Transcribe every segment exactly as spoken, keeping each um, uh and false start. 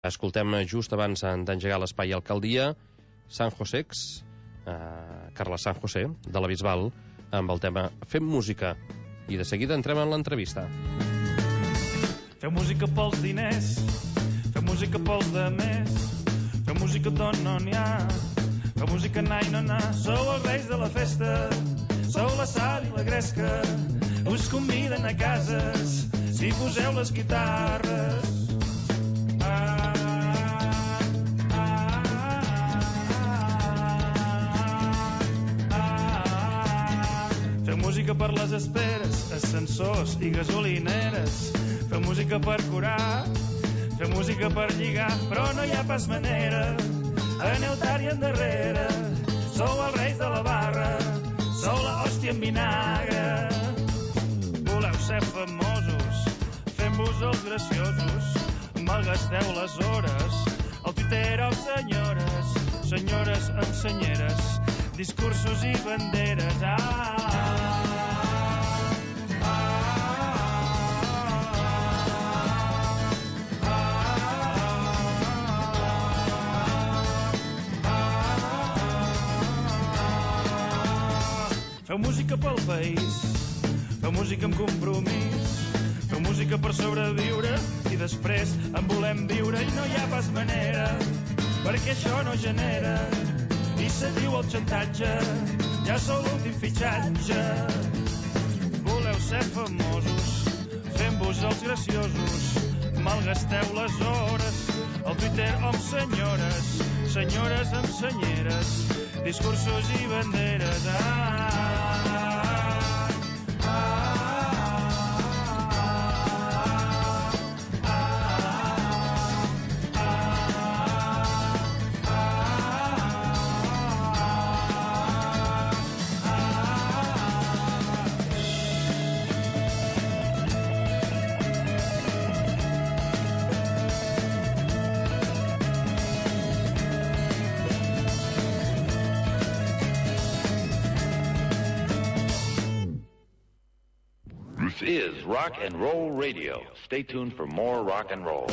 Escoltem just abans d'engegar l'espai Alcaldia San Josex, eh, Carles San José, de la Bisbal, amb el tema Fem música. I de seguida entrem en l'entrevista. Fem música pels diners, fem música pels demés, fem música d'on no n'hi ha, fem música na i no na. Sou els reis de la festa, sou la sal i la gresca, us conviden a cases si poseu les guitarres. Fem música per les esperes, ascensors i gasolineres. Fem música per curar, fem música per lligar, però no hi ha pas manera. Aneu tard i endarrere, sou els reis de la barra, sou la hòstia en vinagre. Voleu ser famosos, fem-vos els graciosos, malgasteu les hores, al Twitter o senyores, senyores amb senyeres, discursos i banderes. Ah! Feu música pel país, feu música amb compromís, feu música per sobreviure i després en volem viure i no hi ha pas manera, perquè això no genera i se diu el xantatge, ja sou l'últim fitxatge. Voleu ser famosos, fem-vos els graciosos, malgasteu les hores, al Twitter amb senyores, senyores amb senyeres, discursos i banderes. Ah! Is Rock and Roll Radio. Stay tuned for more rock and roll.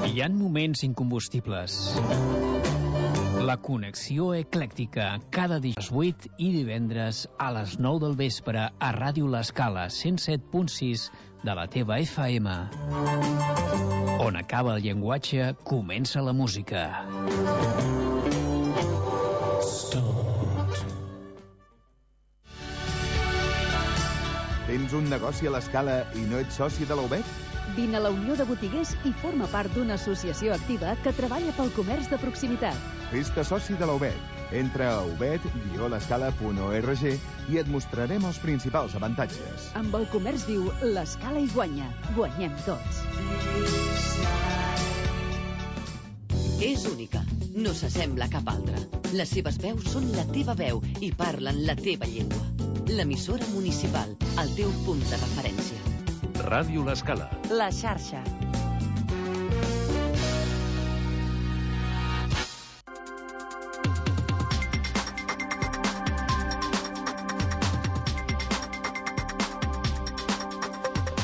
Hi ha moments incombustibles. La connexió eclèctica, cada dijous vuit i divendres a les nou del vespre a Ràdio L'Escala cent set punt sis de la teva F M. On acaba el llenguatge, comença la música. Tens un negoci a l'Escala i no ets soci de la U B E T? Vine a la Unió de Botiguers i forma part d'una associació activa que treballa pel comerç de proximitat. Fes-te soci de la U B E T. Entra a ubet guió l'escala punt org i et mostrarem els principals avantatges. Amb el comerç viu, l'Escala hi guanya. Guanyem tots. És única. No s'assembla a cap altra. Les seves veus són la teva veu i parlen la teva llengua. L'emissora municipal, el teu punt de referència. Ràdio L'Escala. La xarxa.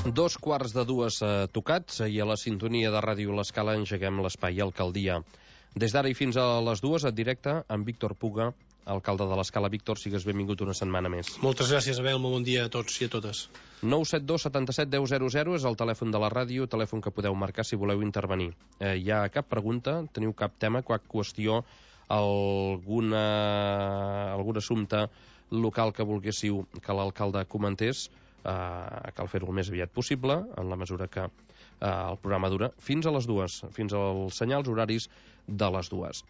Dos quarts de dues eh, tocats i a la sintonia de Ràdio L'Escala engeguem l'espai Alcaldia. Des d'ara i fins a les dues, en directe, amb Víctor Puga, alcalde de l'Escala. Víctor, sigues benvingut una setmana més. Moltes gràcies, Abel. Molt bon dia a tots i a totes. nou set dos setanta-set deu zero zero és el telèfon de la ràdio, telèfon que podeu marcar si voleu intervenir. Eh, hi ha cap pregunta? Teniu cap tema, cap qüestió, alguna, algun assumpte local que volguéssiu que l'alcalde comentés? Eh, cal fer-ho el més aviat possible, en la mesura que eh, el programa dura fins a les dues, fins als senyals horaris de les dues.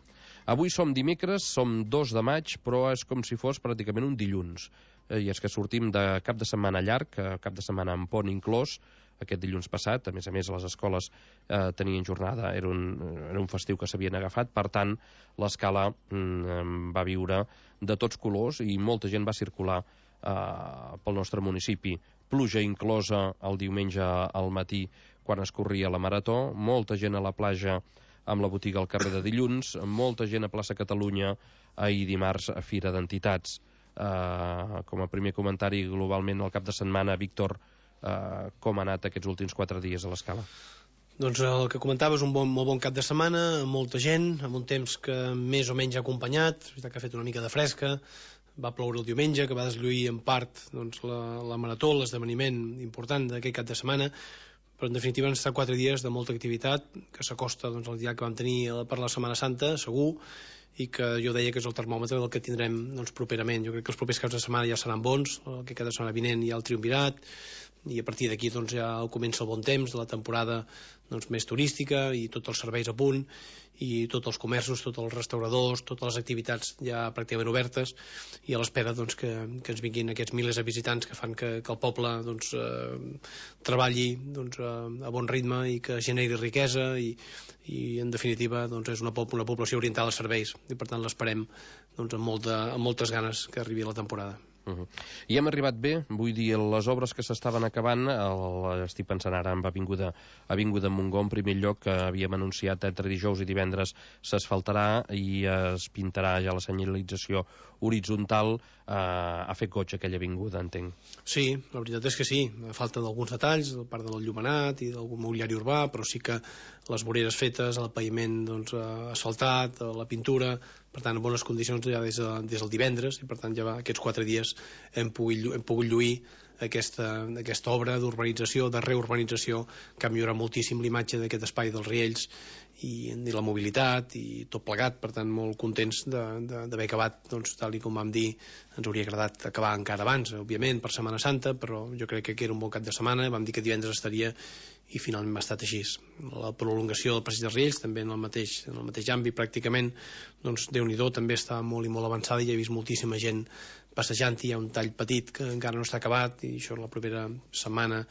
Avui som dimecres, som dos de maig, però és com si fos pràcticament un dilluns. Eh, I és que sortim de cap de setmana llarg, cap de setmana amb pont inclòs, aquest dilluns passat. A més a més, les escoles eh, tenien jornada, era un, era un festiu que s'havien agafat, per tant, l'Escala mm, va viure de tots colors i molta gent va circular eh, pel nostre municipi. Pluja inclosa el diumenge al matí quan es corria la marató, molta gent a la platja amb la botiga al carrer de dilluns, molta gent a plaça Catalunya ahir dimarts a Fira d'Entitats. Uh, com a primer comentari, globalment, el cap de setmana, Víctor, eh, com ha anat aquests últims quatre dies a l'Escala. Doncs el que comentava és un bon, molt bon cap de setmana, amb molta gent, amb un temps que més o menys ha acompanyat, és veritat que ha fet una mica de fresca, va ploure el diumenge, que va deslluir en part doncs, la, la marató, l'esdeveniment important d'aquest cap de setmana, però en definitiva han estat quatre dies de molta activitat, que s'acosta doncs, al dia que vam tenir per la Setmana Santa, segur, i que jo deia que és el termòmetre del que tindrem doncs, properament. Jo crec que els propers caps de setmana ja seran bons, el que cada setmana vinent hi ha el triumvirat, i a partir d'aquí doncs, ja comença el bon temps de la temporada doncs, més turística i tots els serveis a punt i tots els comerços, tots els restauradors, totes les activitats ja pràcticament obertes i a l'espera doncs, que, que ens vinguin aquests milers de visitants que fan que, que el poble doncs, eh, treballi doncs, a, a bon ritme i que generi riquesa i, i en definitiva doncs, és una, una població orientada als serveis i per tant l'esperem doncs, amb, molta, amb moltes ganes que arribi la temporada. Uh-huh. I hem arribat bé, vull dir, les obres que s'estaven acabant, el, estic pensant ara en Avinguda, Avinguda Montgó, en primer lloc, que havíem anunciat entre dijous i divendres s'asfaltarà i es pintarà ja la senyalització horitzontal, eh, ha fet goig aquella avinguda, entenc. Sí, la veritat és que sí, a falta d'alguns detalls, a part de l'enllumenat i d'algun mobiliari urbà, però sí que les voreres fetes, el paviment doncs, asfaltat, la pintura, per tant, en bones condicions ja des, de, des del divendres, i per tant ja va, aquests quatre dies hem pogut, hem pogut lluir aquesta, aquesta obra d'urbanització, de reurbanització, que ha millorat moltíssim l'imatge d'aquest espai dels Riells i, i la mobilitat i tot plegat, per tant molt contents d'haver acabat, doncs, tal i com vam dir, ens hauria agradat acabar encara abans, òbviament, per Setmana Santa, però jo crec que era un bon cap de setmana, vam dir que divendres estaria i finalment ha estat així. La prolongació del passeig dels Riells, també en el mateix, en el mateix àmbit, pràcticament, doncs, Déu-n'hi-do, també està molt i molt avançada i he vist moltíssima gent passejant, hi ha un tall petit que encara no està acabat i això la propera setmana,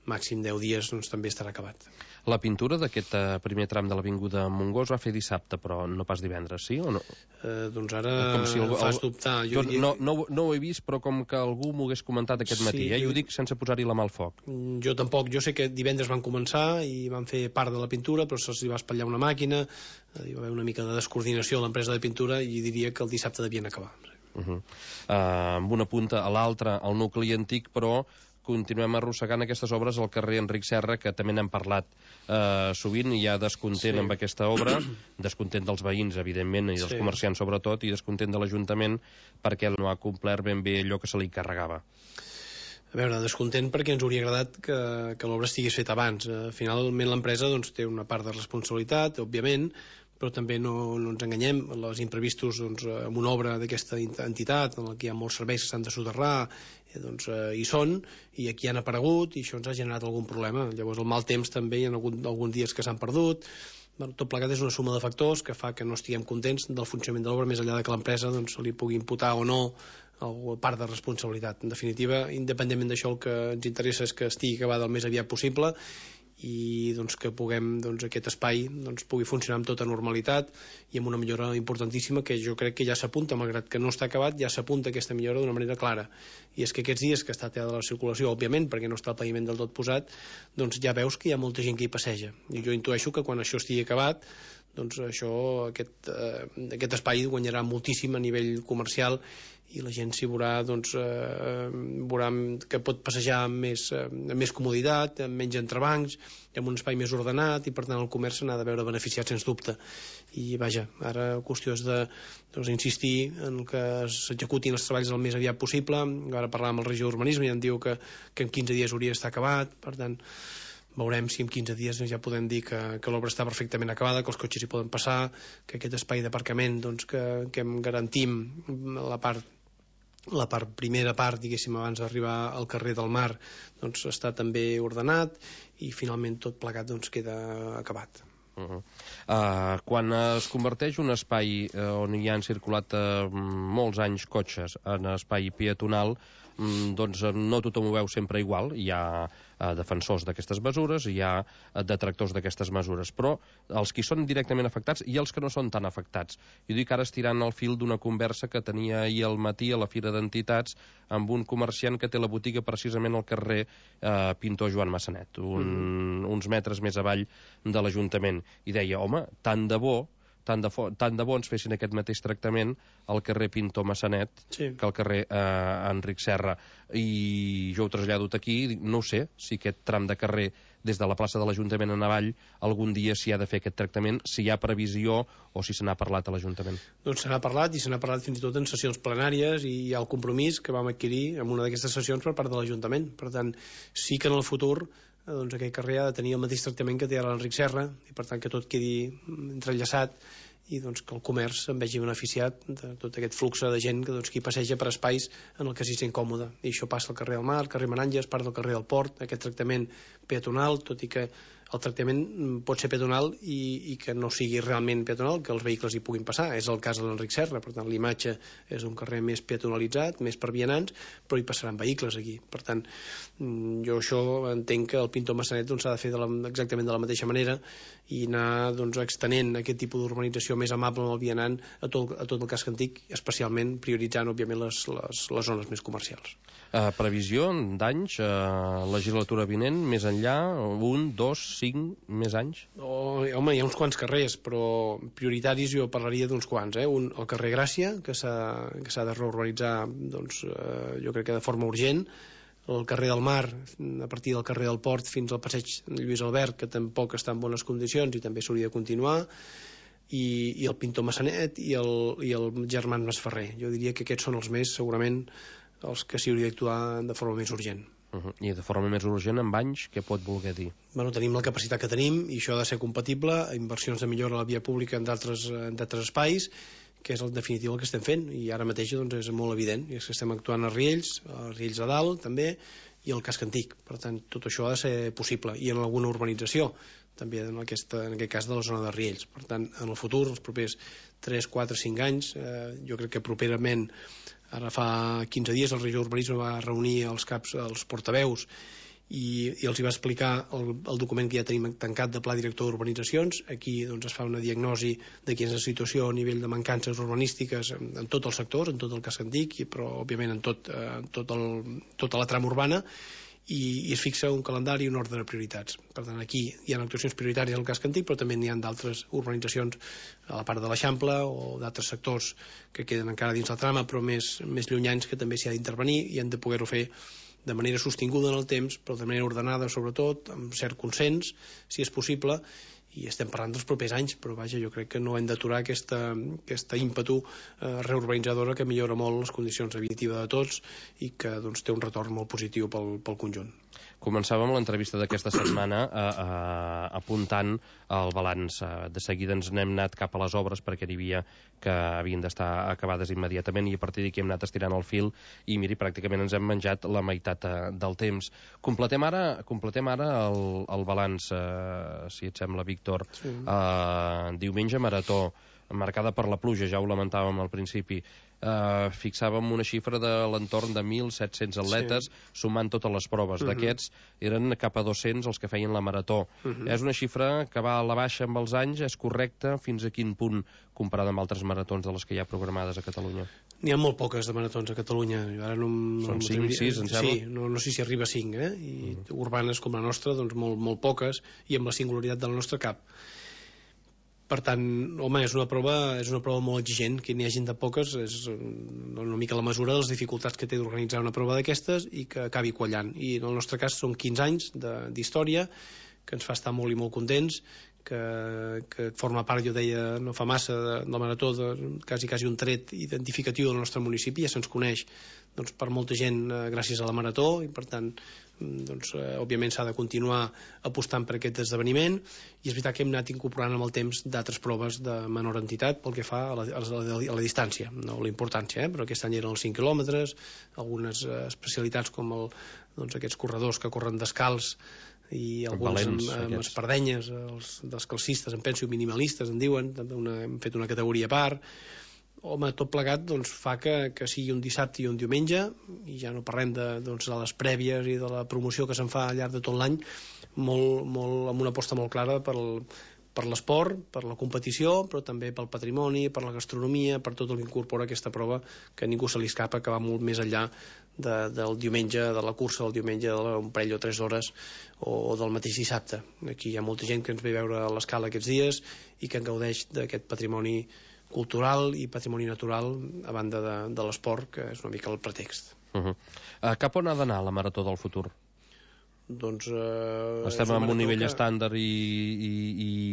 màxim deu dies, doncs, també estarà acabat. La pintura d'aquest uh, primer tram de l'Avinguda Montgó es va fer dissabte, però no pas divendres, sí o no? Eh, doncs ara si el, fas dubtar. Jo, doncs no, no, no ho he vist, però com que algú m'ho hagués comentat aquest sí, matí, eh? Jo ho dic sense posar-hi la mà al foc. Jo tampoc, jo sé que divendres van començar i van fer part de la pintura, però se'ls va espatllar una màquina, hi va haver una mica de descoordinació a l'empresa de pintura i diria que el dissabte devien acabar. Uh -huh. uh, amb una punta a l'altra, al nucli antic, però continuem arrossegant aquestes obres al carrer Enric Serra, que també n'hem parlat eh, sovint, hi ha descontent sí. amb aquesta obra, descontent dels veïns, evidentment, i dels sí. comerciants sobretot, i descontent de l'Ajuntament perquè no ha complert ben bé allò que se li carregava. A veure, descontent perquè ens hauria agradat que, que l'obra estigués feta abans. Uh, finalment l'empresa doncs, té una part de responsabilitat, òbviament, però també no, no ens enganyem, els imprevistos doncs, en una obra d'aquesta entitat en què hi ha molts serveis que s'han de soterrar eh, doncs, eh, hi són, i aquí han aparegut i això ens ha generat algun problema. Llavors el mal temps també hi ha algun, alguns dies que s'han perdut. Bueno, tot plegat és una suma de factors que fa que no estiguem contents del funcionament de l'obra, més enllà de que l'empresa doncs, se li pugui imputar o no o part de responsabilitat. En definitiva, independentment d'això, el que ens interessa és que estigui acabada el més aviat possible i doncs, que puguem, doncs, aquest espai doncs, pugui funcionar amb tota normalitat i amb una millora importantíssima que jo crec que ja s'apunta, malgrat que no està acabat, ja s'apunta aquesta millora d'una manera clara. I és que aquests dies que està talada la circulació, òbviament, perquè no està el paviment del tot posat, doncs ja veus que hi ha molta gent que hi passeja. I jo intueixo que quan això estigui acabat, doncs això, aquest, eh, aquest espai guanyarà moltíssim a nivell comercial i la gent s'hi veurà, doncs, eh, veurà que pot passejar amb més, eh, amb més comoditat, amb menys entrebancs, amb un espai més ordenat i per tant el comerç n'ha de veure beneficiat sens dubte. I vaja, ara la qüestió és de doncs, insistir en que s'executin els treballs el més aviat possible. Ara parlàvem amb el regidor d'Urbanisme i em diu que, que en quinze dies hauria d'estar acabat, per tant veurem si en quinze dies ja podem dir que, que l'obra està perfectament acabada, que els cotxes hi poden passar, que aquest espai d'aparcament doncs, que, que em garantim la part la part, primera part, diguéssim, abans d'arribar al carrer del Mar, doncs està també ordenat i finalment tot plegat doncs queda acabat. Uh -huh. uh, quan es converteix un espai uh, on hi han circulat uh, molts anys cotxes en espai peatonal, um, doncs uh, no tothom ho veu sempre igual. Hi ha uh, defensors d'aquestes mesures, hi ha uh, detractors d'aquestes mesures, però els que són directament afectats i els que no són tan afectats. Jo dic ara estirant el fil d'una conversa que tenia ahir al matí a la Fira d'Entitats amb un comerciant que té la botiga precisament al carrer uh, Pintor Joan Massanet, un, mm. uns metres més avall de l'Ajuntament, i deia, home, tant de bo tant de, tant de bons fessin aquest mateix tractament al carrer Pintor Massanet sí. que al carrer eh, Enric Serra. I jo ho trasllado aquí, no ho sé, si aquest tram de carrer des de la plaça de l'Ajuntament en avall algun dia s'hi ha de fer aquest tractament, si hi ha previsió o si se n'ha parlat a l'Ajuntament. Doncs se n'ha parlat, i se n'ha parlat fins i tot en sessions plenàries, i hi ha el compromís que vam adquirir en una d'aquestes sessions per part de l'Ajuntament. Per tant, sí que en el futur doncs aquest carrer ha de tenir el mateix tractament que té ara l'Enric Serra, i per tant que tot quedi entrellaçat, i doncs que el comerç se'n vegi beneficiat de tot aquest flux de gent que doncs, qui passeja per espais en el que s'hi sent còmode. I això passa al carrer del Mar, al carrer Meranges, part del carrer del Port, aquest tractament peatonal, tot i que el tractament pot ser peatonal i, i que no sigui realment peatonal, que els vehicles hi puguin passar. És el cas de l'Enric Serra, per tant l'imatge és un carrer més peatonalitzat, més per vianants, però hi passaran vehicles aquí. Per tant, jo això entenc que el Pintor Massanet doncs, s'ha de fer de la, exactament de la mateixa manera, i anar doncs, extenent aquest tipus d'urbanització més amable amb el vianant a tot, a tot el casc antic, especialment prioritzant òbviament les, les, les zones més comercials. Uh, previsió d'anys, uh, legislatura vinent, més enllà, un, dos, cinc, més anys? Oh, home, hi ha uns quants carrers, però prioritaris jo parlaria d'uns quants. Eh? Un, el carrer Gràcia, que s'ha de reurbanitzar doncs, eh, jo crec que de forma urgent, el carrer del Mar, a partir del carrer del Port fins al passeig Lluís Albert, que tampoc està en bones condicions i també s'hauria de continuar, i, i el Pintor Massanet i el, i el Germans Masferrer. Jo diria que aquests són els més, segurament, els que s'hi hauria d'actuar de forma més urgent. Uh-huh. I de forma més urgent, amb anys, què pot voler dir? Bueno, tenim la capacitat que tenim, i això ha de ser compatible a inversions de millora a la via pública en d'altres espais, que és en definitiva el que estem fent, i ara mateix doncs, és molt evident, i és que estem actuant a Riells, a Riells de Dalt també, i al casc antic. Per tant, tot això ha de ser possible, i en alguna urbanització també en, aquesta, en aquest cas de la zona de Riells. Per tant, en el futur, els propers tres, quatre, cinc anys, eh, jo crec que properament, ara fa quinze dies el regidor d'Urbanisme va reunir els caps, els portaveus, i, i els hi va explicar el, el document que ja tenim tancat de Pla Director d'Urbanitzacions. Aquí doncs, es fa una diagnosi de quina és la situació a nivell de mancances urbanístiques en, en tots els sectors, en tot el casc antic, però òbviament en, tot, eh, tot el, tota la trama urbana, i, i es fixa un calendari i un ordre de prioritats. Per tant, aquí hi ha actuacions prioritàries al casc antic, però també n'hi ha d'altres urbanitzacions a la part de l'Eixample o d'altres sectors que queden encara dins la trama, però més, més llunyans, que també s'hi ha d'intervenir i han de poder-ho fer de manera sostinguda en el temps, però de manera ordenada, sobretot, amb cert consens, si és possible, i estem parlant dels propers anys, però vaja, jo crec que no hem d'aturar aquesta, aquesta ímpetu eh, reurbanitzadora que millora molt les condicions de vida de tots i que doncs, té un retorn molt positiu pel, pel conjunt. Començàvem l'entrevista d'aquesta setmana a, a, apuntant el balanç. De seguida ens n'hem anat cap a les obres perquè n'hi havia que havien d'estar acabades immediatament, i a partir d'aquí hem anat estirant el fil i miri, pràcticament ens hem menjat la meitat eh, del temps. Completem ara, completem ara el, el balanç, eh, si et sembla, Víctor. Sí. Eh, diumenge marató, marcada per la pluja, ja ho lamentàvem al principi. Uh, fixàvem una xifra de l'entorn de mil set-cents atletes, sí, sumant totes les proves. Uh-huh. D'aquests eren cap a dos-cents els que feien la marató. Uh-huh. És una xifra que va a la baixa amb els anys, és correcta? Fins a quin punt comparada amb altres maratons de les que hi ha programades a Catalunya? N'hi ha molt poques de maratons a Catalunya. Ara no, Són no cinc, sis, em sembla? Sí, no, no sé si arriba a cinc, eh? I uh-huh. urbanes com la nostra, doncs molt, molt poques, i amb la singularitat del nostre cap. Per tant, home, és una prova, és una prova molt exigent, que n'hi hagin de poques, és una mica la mesura de les dificultats que té d'organitzar una prova d'aquestes i que acabi quallant. I en el nostre cas són quinze anys d'història, que ens fa estar molt i molt contents, que, que forma part, jo deia, no fa massa, de, de la marató, de, quasi, quasi un tret identificatiu del nostre municipi, ja se'ns coneix doncs, per molta gent eh, gràcies a la marató, i per tant doncs, eh, òbviament s'ha de continuar apostant per aquest esdeveniment, i és veritat que hem anat incorporant amb el temps d'altres proves de menor entitat pel que fa a la, a la, a la distància, no la importància, eh? Però aquest any eren els cinc quilòmetres, algunes eh, especialitats com el, doncs, aquests corredors que corren descalç, i alguns Valents, amb, amb espardenyes, els descalcistes, em penso minimalistes, en diuen, també una, hem fet una categoria a part. Home, tot plegat doncs, fa que, que sigui un dissabte i un diumenge, i ja no parlem de, doncs, de les prèvies i de la promoció que se'n fa al llarg de tot l'any, molt, molt, amb una aposta molt clara per el, per l'esport, per la competició, però també pel patrimoni, per la gastronomia, per tot el que incorpora aquesta prova, que a ningú se li escapa, que va molt més enllà de, del diumenge, de la cursa del diumenge, d'un parell o tres hores, o, o del mateix dissabte. Aquí hi ha molta gent que ens ve a veure a l'Escala aquests dies i que en gaudeix d'aquest patrimoni cultural i patrimoni natural, a banda de, de l'esport, que és una mica el pretext. Uh -huh. uh, cap on ha d'anar la Marató del futur? Doncs, eh, estem en un nivell que... estàndard i, i,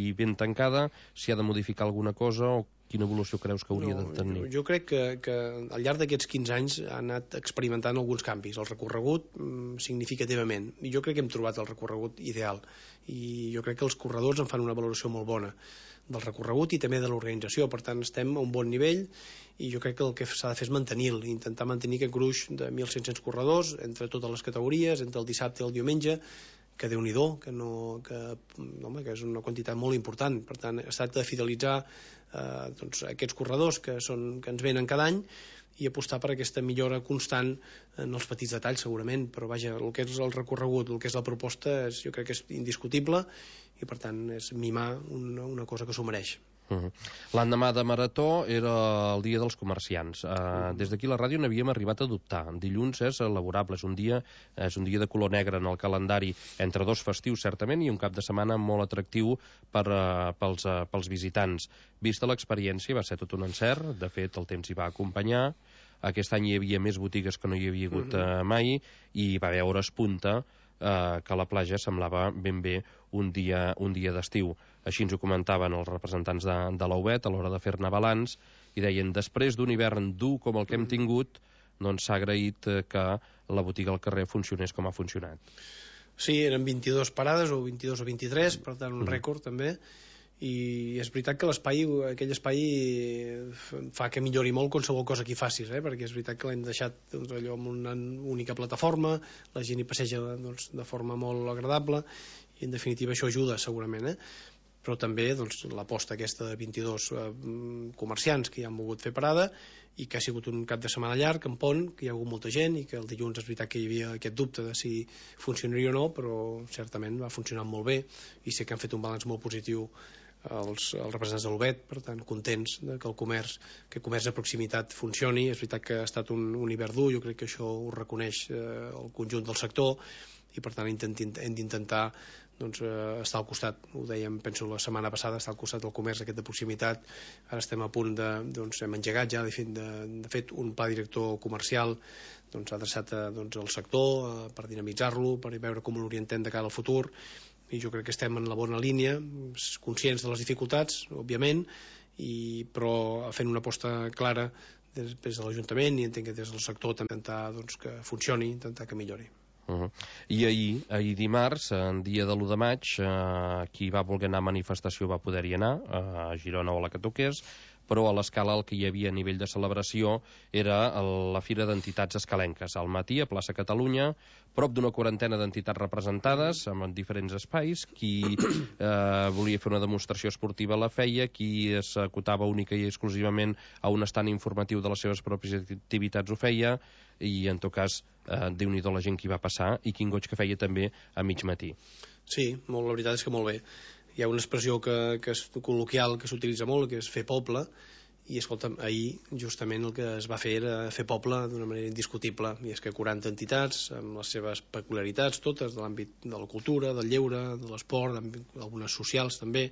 i ben tancada, si ha de modificar alguna cosa o quina evolució creus que hauria no, de tenir? Jo, jo crec que, que al llarg d'aquests quinze anys ha anat experimentant alguns canvis, el recorregut mm, significativament, i jo crec que hem trobat el recorregut ideal, i jo crec que els corredors en fan una valoració molt bona del recorregut i també de l'organització, per tant estem a un bon nivell, i jo crec que el que s'ha de fer és mantenir-lo, intentar mantenir aquest gruix de mil cinc-cents corredors entre totes les categories, entre el dissabte i el diumenge, que Déu-n'hi-do, que, no, que, home, que és una quantitat molt important. Per tant, es tracta de fidelitzar eh, doncs, aquests corredors que, són, que ens venen cada any i apostar per aquesta millora constant en els petits detalls, segurament, però vaja, el que és el recorregut, el que és la proposta, és, jo crec que és indiscutible, i per tant és mimar una, una cosa que s'ho mereix. Uh-huh. L'endemà de Marató era el dia dels comerciants. Uh, uh-huh. Des d'aquí la ràdio n'havíem arribat a dubtar. Dilluns és laborable, és un dia és un dia de color negre en el calendari, entre dos festius certament i un cap de setmana molt atractiu per, uh, pels, uh, pels visitants. Vista l'experiència va ser tot un encert, de fet el temps hi va acompanyar. Aquest any hi havia més botigues que no hi havia hagut uh, mai, i va haver hores punta eh, que la platja semblava ben bé un dia, un dia d'estiu. Així ens ho comentaven els representants de, de l'A U B E T a l'hora de fer-ne balanç, i deien, després d'un hivern dur com el que hem tingut, doncs s'ha agraït que la botiga al carrer funcionés com ha funcionat. Sí, eren vint-i-dues parades, o vint-i-dos o vint-i-tres, per tant un rècord també, i és veritat que l'espai, aquell espai fa que millori molt qualsevol cosa que hi facis, eh? Perquè és veritat que l'hem deixat doncs, allò amb una única plataforma, la gent hi passeja doncs, de forma molt agradable, i en definitiva això ajuda segurament, eh? Però també doncs, l'aposta aquesta de vint-i-dos eh, comerciants que hi han volgut fer parada i que ha sigut un cap de setmana llarg, en pont, que hi ha hagut molta gent i que el dilluns és veritat que hi havia aquest dubte de si funcionaria o no, però certament va funcionar molt bé i sé que han fet un balanç molt positiu els, els representants de l'U B E T, per tant contents de que el comerç, que el comerç de proximitat funcioni. És veritat que ha estat un, un hivern dur, jo crec que això ho reconeix eh, el conjunt del sector, i per tant hem d'intentar doncs, eh, estar al costat, ho dèiem penso la setmana passada, estar al costat del comerç aquest de proximitat. Ara estem a punt de, doncs hem engegat ja de fet, de, de fet un pla director comercial doncs, adreçat a, doncs, al sector eh, per dinamitzar-lo, per veure com l'orientem de cara al futur, i jo crec que estem en la bona línia, conscients de les dificultats òbviament, i, però fent una aposta clara des, des de l'Ajuntament, i entenc que des del sector també intentar doncs, que funcioni, intentar que millori. Uh-huh. I ahir, ahir dimarts, en dia de l'u de maig, eh, qui va voler anar a manifestació va poder-hi anar, eh, a Girona o a la que toqués, però a l'Escala el que hi havia a nivell de celebració era la Fira d'Entitats Escalenques. Al matí, a plaça Catalunya, prop d'una quarantena d'entitats representades en diferents espais. Qui eh, volia fer una demostració esportiva la feia, qui s'acotava única i exclusivament a un estant informatiu de les seves pròpies activitats ho feia, i en tot cas, eh, Déu-n'hi-do la gent que hi va passar, i quin goig que feia també a mig matí. Sí, molt, la veritat és que molt bé. Hi ha una expressió que, que és col·loquial, que s'utilitza molt, que és fer poble, i escolta'm, ahir justament el que es va fer era fer poble d'una manera indiscutible, i és que quaranta entitats amb les seves peculiaritats totes de l'àmbit de la cultura, del lleure, de l'esport, algunes socials també,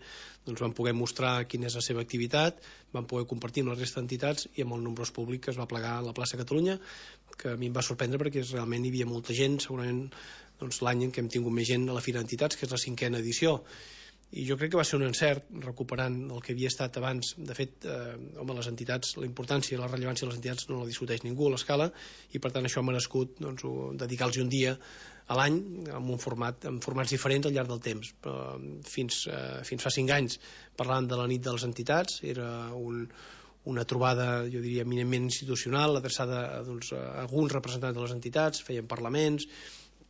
doncs van poder mostrar quina és la seva activitat, van poder compartir amb la resta d'entitats i amb el nombrós públic que es va plegar a la plaça Catalunya, que a mi em va sorprendre perquè realment hi havia molta gent, segurament doncs, l'any en què hem tingut més gent a la Fira d'Entitats, que és la cinquena edició. I jo crec que va ser un encert, recuperant el que havia estat abans. De fet, eh, home, les entitats, la importància i la rellevància de les entitats no la discuteix ningú a l'Escala, i per tant això ha merescut doncs, dedicar-los un dia a l'any amb un format, amb formats diferents al llarg del temps. Però fins, eh, fins fa cinc anys parlant de la nit de les entitats, era un, una trobada, jo diria, eminentment institucional, adreçada a, doncs, a alguns representants de les entitats, feien parlaments,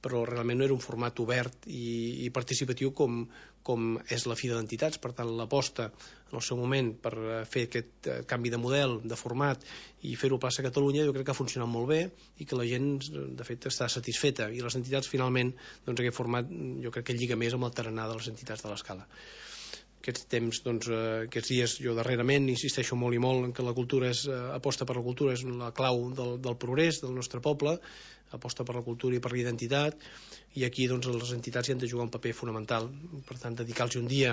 però realment no era un format obert i, i participatiu com, com és la Fira d'Entitats. Per tant, l'aposta en el seu moment per fer aquest eh, canvi de model, de format, i fer-ho a plaça Catalunya, jo crec que ha funcionat molt bé i que la gent, de fet, està satisfeta. I les entitats, finalment, doncs aquest format jo crec que lliga més amb el tarannà de les entitats de l'Escala. aquests temps, doncs, eh, aquests dies, jo darrerament insisteixo molt i molt en que la cultura és, eh, aposta per la cultura és la clau del, del progrés del nostre poble, aposta per la cultura i per la identitat, i aquí doncs, les entitats hi han de jugar un paper fonamental. Per tant, dedicar-los un dia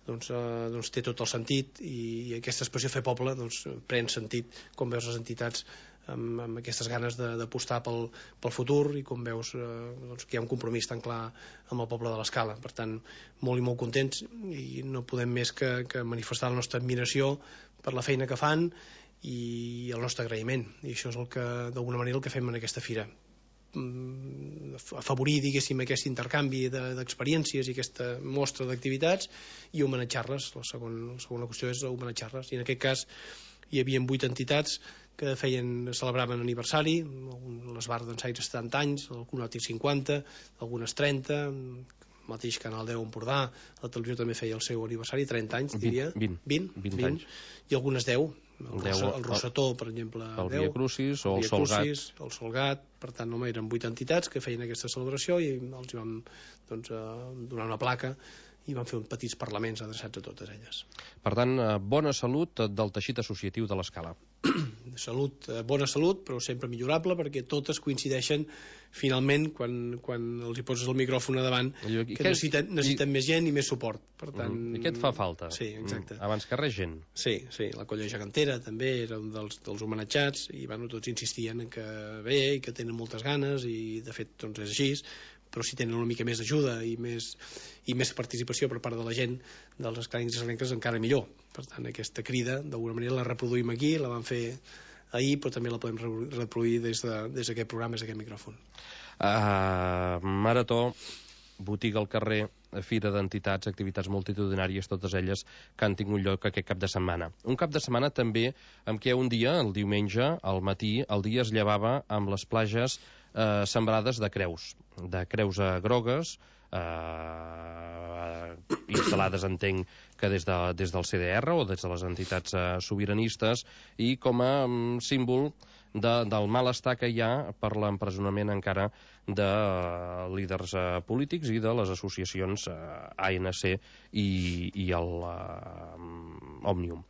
doncs, eh, doncs té tot el sentit, i, i aquesta expressió fer poble doncs, pren sentit com veus les entitats amb, amb aquestes ganes d'apostar pel, pel futur, i com veus eh, doncs, que hi ha un compromís tan clar amb el poble de l'Escala. Per tant, molt i molt contents, i no podem més que, que manifestar la nostra admiració per la feina que fan i el nostre agraïment, i això és el que d'alguna manera el que fem en aquesta fira, afavorir, diguéssim, aquest intercanvi d'experiències i aquesta mostra d'activitats i homenatjar-les. La segona, la segona qüestió és homenatjar-les, i en aquest cas hi havia vuit entitats que feien, celebraven aniversari, l'Esbar d'Ensaire setanta anys, el Conòtic cinquanta, algunes trenta, el mateix Canal deu Empordà, la televisió també feia el seu aniversari, trenta anys, diria. vint, vint, vint, vint anys. I algunes deu. El, deu, Rosa, el Rosetó, per exemple, el Via Crucis o el, el Solgat. El Solgat, per tant, home, eren vuit entitats que feien aquesta celebració, i els vam doncs, donar una placa i van fer uns petits parlaments adreçats a totes elles. Per tant, bona salut del teixit associatiu de l'Escala. Salut, bona salut, però sempre millorable, perquè totes coincideixen finalment quan, quan els hi poses el micròfon a davant, I que necessiten, necessiten i... més gent i més suport. Per tant, mm, I què et fa falta? Sí, exacte. Mm, abans que res, gent. Sí, sí, la Colla Gegantera també era un dels, dels homenatjats, i bueno, tots insistien en que bé, i que tenen moltes ganes, i de fet doncs és així, però si tenen una mica més d'ajuda i més, i més participació per part de la gent dels esclarencs i esclarenques, encara millor. Per tant, aquesta crida d'alguna manera la reproduïm aquí, la vam fer ahir, però també la podem reproduir des d'aquest de, programa, des d'aquest micròfon. Uh, Marató, botiga al carrer, fira d'entitats, activitats multitudinàries, totes elles que han tingut lloc aquest cap de setmana. Un cap de setmana també en què un dia, el diumenge, al matí, el dia es llevava amb les plages eh, sembrades de creus, de creus eh, grogues, eh, instal·lades, entenc, que des, de, des del C D R o des de les entitats eh, sobiranistes, i com a um, símbol de, del malestar que hi ha per l'empresonament encara de uh, líders uh, polítics i de les associacions uh, A N C i, i el uh, Òmnium.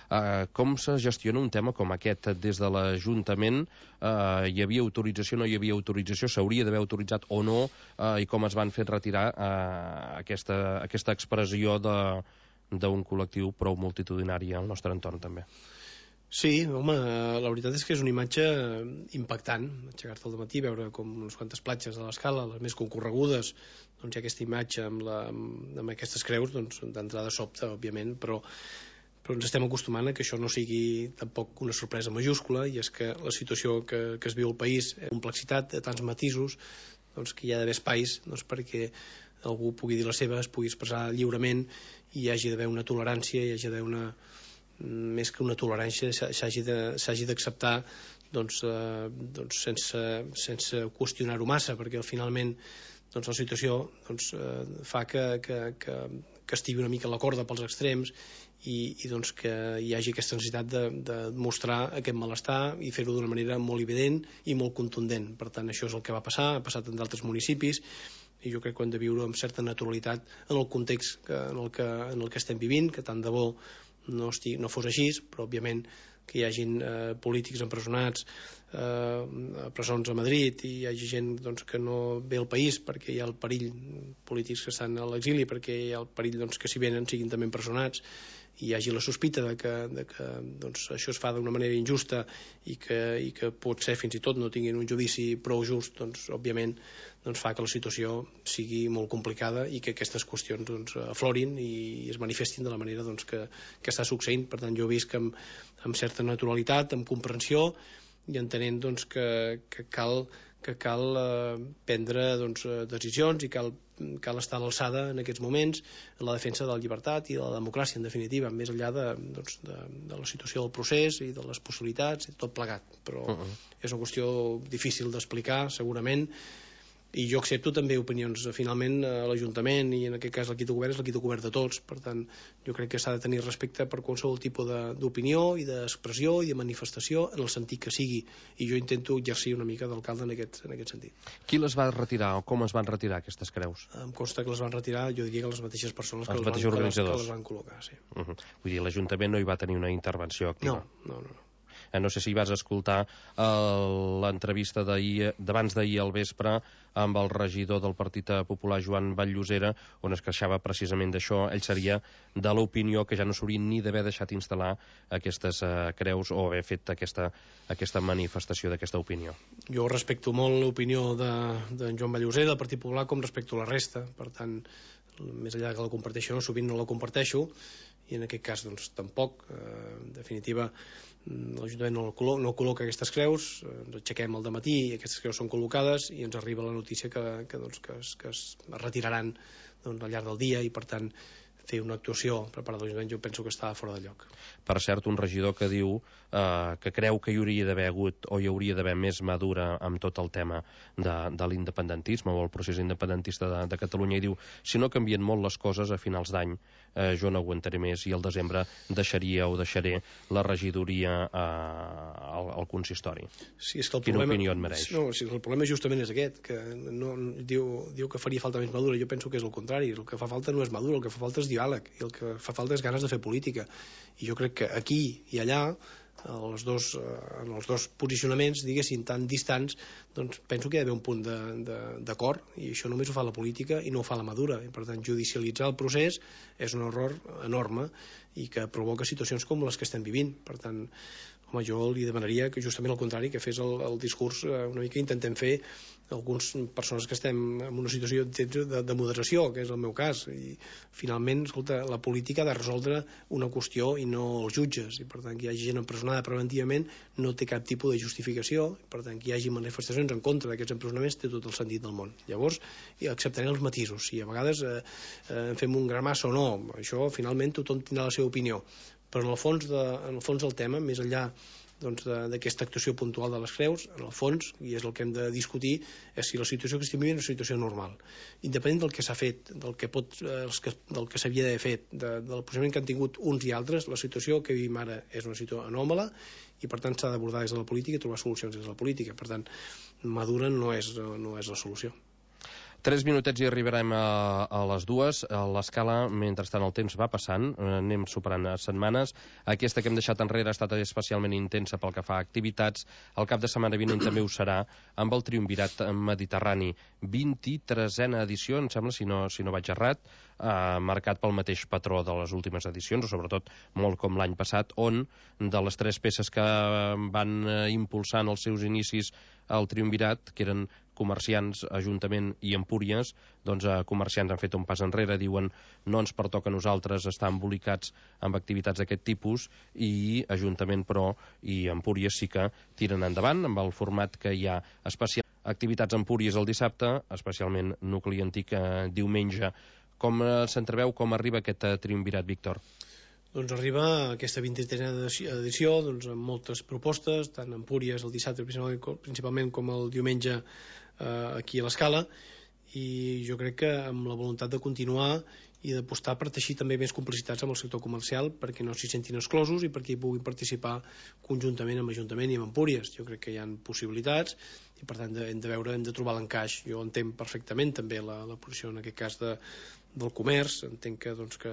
Uh, com se gestiona un tema com aquest des de l'Ajuntament? Uh, hi havia autorització, no hi havia autorització, s'hauria d'haver autoritzat o no, uh, i com es van fer retirar uh, aquesta, aquesta expressió d'un col·lectiu prou multitudinari al nostre entorn també? Sí, home, la veritat és que és una imatge impactant, aixecar-te al matí, veure com unes quantes platges de l'Escala, les més concorregudes, doncs hi ha aquesta imatge amb, la, amb aquestes creus, doncs d'entrada sobta, òbviament, però però ens estem acostumant a que això no sigui tampoc una sorpresa majúscula, i és que la situació que, que es viu al país, la complexitat de tants matisos, doncs que hi ha d'haver espais doncs, perquè algú pugui dir la seva, es pugui expressar lliurement, i hi hagi d'haver una tolerància, hi hagi d'haver una, més que una tolerància, s'hagi d'acceptar doncs, eh, doncs sense, sense qüestionar-ho massa, perquè finalment doncs, la situació doncs, eh, fa que, que, que, que estigui una mica a la corda pels extrems, i, i doncs que hi hagi aquesta necessitat de, de mostrar aquest malestar i fer-ho d'una manera molt evident i molt contundent. Per tant, això és el que va passar, ha passat en d'altres municipis, i jo crec que hem de viure amb certa naturalitat en el context que, en, el que, en el que estem vivint, que tant de bo no, estigui, no fos així, però òbviament que hi hagin eh, polítics empresonats eh, a presons a Madrid, i hi hagi gent doncs, que no ve al país perquè hi ha el perill, polítics que estan a l'exili perquè hi ha el perill doncs, que si venen siguin també empresonats, i hi hagi la sospita de que, de que doncs, això es fa d'una manera injusta i que, i que pot ser fins i tot no tinguin un judici prou just, doncs òbviament doncs, fa que la situació sigui molt complicada i que aquestes qüestions doncs, aflorin i es manifestin de la manera doncs, que, que està succeint. Per tant, jo he vist que amb, amb certa naturalitat, amb comprensió, i entenent doncs, que, que cal, que cal eh, prendre doncs, decisions i cal, cal estar a l'alçada en aquests moments en la defensa de la llibertat i de la democràcia, en definitiva, més enllà de, doncs, de, de la situació del procés i de les possibilitats i tot plegat. Però uh -huh. és una qüestió difícil d'explicar, segurament, i jo accepto també opinions. Finalment l'Ajuntament, i en aquest cas l'equip de govern, és l'equip de govern de tots, per tant jo crec que s'ha de tenir respecte per qualsevol tipus d'opinió i d'expressió i de manifestació en el sentit que sigui, i jo intento exercir una mica d'alcalde en aquest, en aquest sentit. Qui les va retirar o com es van retirar aquestes creus? Em consta que les van retirar, jo diria que les mateixes persones que, els les, mateixos van, organitzadors. que les van col·locar, sí. Uh -huh. Vull dir, l'Ajuntament no hi va tenir una intervenció activa. No, no, no. No sé si vas escoltar l'entrevista d'abans d'ahir al vespre amb el regidor del Partit Popular, Joan Vall-Llosera, on es queixava precisament d'això. Ell seria de l'opinió que ja no s'haurien ni d'haver deixat instal·lar aquestes uh, creus o haver fet aquesta, aquesta manifestació d'aquesta opinió. Jo respecto molt l'opinió de, de Joan Vall-Llosera, del Partit Popular, com respecto la resta. Per tant, més enllà que la comparteixo, no, sovint no la comparteixo, i en aquest cas doncs tampoc. Eh, en definitiva, l'Ajuntament no, col·lo no col·loca aquestes creus, ens aixequem al dematí i aquestes creus són col·locades i ens arriba la notícia que, que, doncs, que, es, que es retiraran doncs, al llarg del dia, i per tant fer una actuació per part de l'Ajuntament jo penso que està fora de lloc. Per cert, un regidor que diu eh, que creu que hi hauria d'haver hagut o hi hauria d'haver més mà dura amb tot el tema de, de l'independentisme o el procés independentista de, de Catalunya, i diu, si no canvien molt les coses a finals d'any eh, jo no aguantaré més i al desembre deixaria o deixaré la regidoria eh, al, al consistori. Sí, és que el Quina problema, opinió et mereix? No, sí, el problema justament és aquest, que no, diu, diu que faria falta més madura. Jo penso que és el contrari, el que fa falta no és madura, el que fa falta és diàleg, i el que fa falta és ganes de fer política, i jo crec que aquí i allà els dos, en els dos posicionaments, diguéssim, tan distants, doncs penso que hi ha d'haver un punt d'acord, i això només ho fa la política i no ho fa la madura, i per tant judicialitzar el procés és un error enorme i que provoca situacions com les que estem vivint. Per tant, home, jo li demanaria que justament al contrari, que fes el, el discurs una mica intentem fer algunes persones que estem en una situació de, de moderació, que és el meu cas, i finalment, escolta, la política ha de resoldre una qüestió i no els jutges, i per tant que hi hagi gent empresonada preventivament no té cap tipus de justificació, i per tant que hi hagi manifestacions en contra d'aquests empresonaments té tot el sentit del món. Llavors acceptaré els matisos, si a vegades eh, eh, fem un gra massa o no, això finalment tothom tindrà la seva opinió, però en el fons, de, en el fons del tema, més enllà doncs, d'aquesta actuació puntual de les creus, en el fons, i és el que hem de discutir, és si la situació que estem vivint és una situació normal, independent del que s'ha fet, del que, pot, eh, que, del que s'havia d'haver fet, de, del procediment que han tingut uns i altres. La situació que vivim ara és una situació anòmala i per tant s'ha d'abordar des de la política i trobar solucions des de la política. Per tant, madura no és, no és la solució. Tres minutets i arribarem a, a les dues. L'escala, mentrestant el temps va passant, anem superant setmanes. Aquesta que hem deixat enrere ha estat especialment intensa pel que fa a activitats. El cap de setmana vinent també ho serà amb el Triumvirat Mediterrani. vint-i-tresena edició, em sembla, si no, si no vaig errat, eh, marcat pel mateix patró de les últimes edicions, o sobretot molt com l'any passat, on de les tres peces que van impulsar en els seus inicis el Triumvirat, que eren comerciants, Ajuntament i Empúries, doncs eh, comerciants han fet un pas enrere, diuen no ens pertoca a nosaltres estar embolicats amb activitats d'aquest tipus, i Ajuntament, però, i Empúries sí que tiren endavant amb el format que hi ha especial. Activitats a Empúries el dissabte, especialment nucli antic eh, diumenge. Com eh, s'entreveu, com arriba aquest eh, Triumvirat, Víctor? Doncs arriba aquesta vint-i-tresena edició doncs, amb moltes propostes, tant a Empúries el dissabte principalment com el diumenge eh, aquí a l'Escala, i jo crec que amb la voluntat de continuar i d'apostar per teixir també més complicitats amb el sector comercial perquè no s'hi sentin exclosos i perquè hi puguin participar conjuntament amb Ajuntament i amb Empúries. Jo crec que hi ha possibilitats i per tant hem de veure, hem de trobar l'encaix. Jo entenc perfectament també la, la posició en aquest cas de, del comerç, entenc que, doncs, que,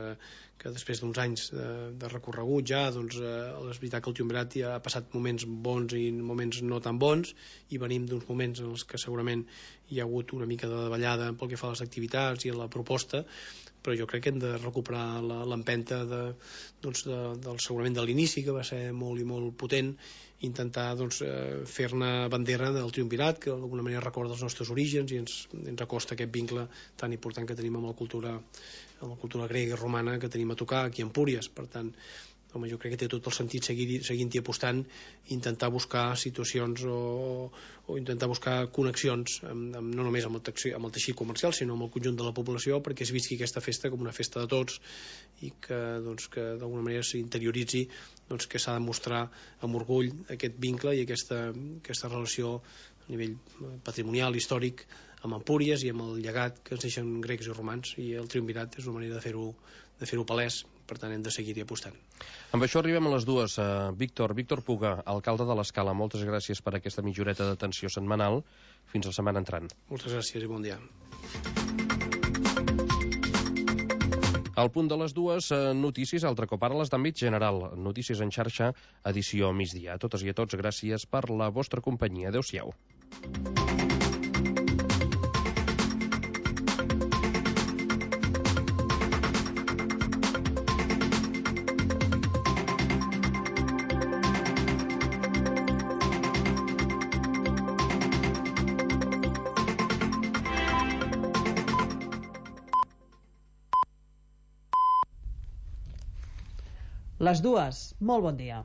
que després d'uns anys de, de recorregut ja, doncs, eh, és veritat que el Triumvirat ja ha passat moments bons i moments no tan bons, i venim d'uns moments en els que segurament hi ha hagut una mica de davallada pel que fa a les activitats i a la proposta, però jo crec que hem de recuperar l'empenta de, doncs, de, del, segurament de l'inici, que va ser molt i molt potent, intentar doncs, fer-ne bandera del Triumvirat, que d'alguna manera recorda els nostres orígens i ens, ens acosta aquest vincle tan important que tenim amb la cultura, amb la cultura grega i romana que tenim a tocar aquí a Empúries. Per tant, home, jo crec que té tot el sentit seguir, seguint-hi apostant, intentar buscar situacions o, o intentar buscar connexions amb, amb, no només amb el, texi, amb el teixit comercial, sinó amb el conjunt de la població, perquè es visqui aquesta festa com una festa de tots i que, doncs, que d'alguna manera s'interioritzi doncs, que s'ha de mostrar amb orgull aquest vincle i aquesta, aquesta relació a nivell patrimonial, històric, amb Empúries i amb el llegat que ens deixen grecs i romans, i el triumvirat és una manera de fer-ho de fer-ho palès, per tant hem de seguir-hi apostant. Amb això arribem a les dues. Uh, Víctor, Víctor Puga, alcalde de l'Escala, moltes gràcies per aquesta mitjoreta d'atenció setmanal. Fins la setmana entrant. Moltes gràcies i bon dia. Al punt de les dues, uh, notícies, altre cop ara les d'àmbit general. Notícies en xarxa, edició migdia. A totes i a tots, gràcies per la vostra companyia. Adéu-siau. Les dues, molt bon dia.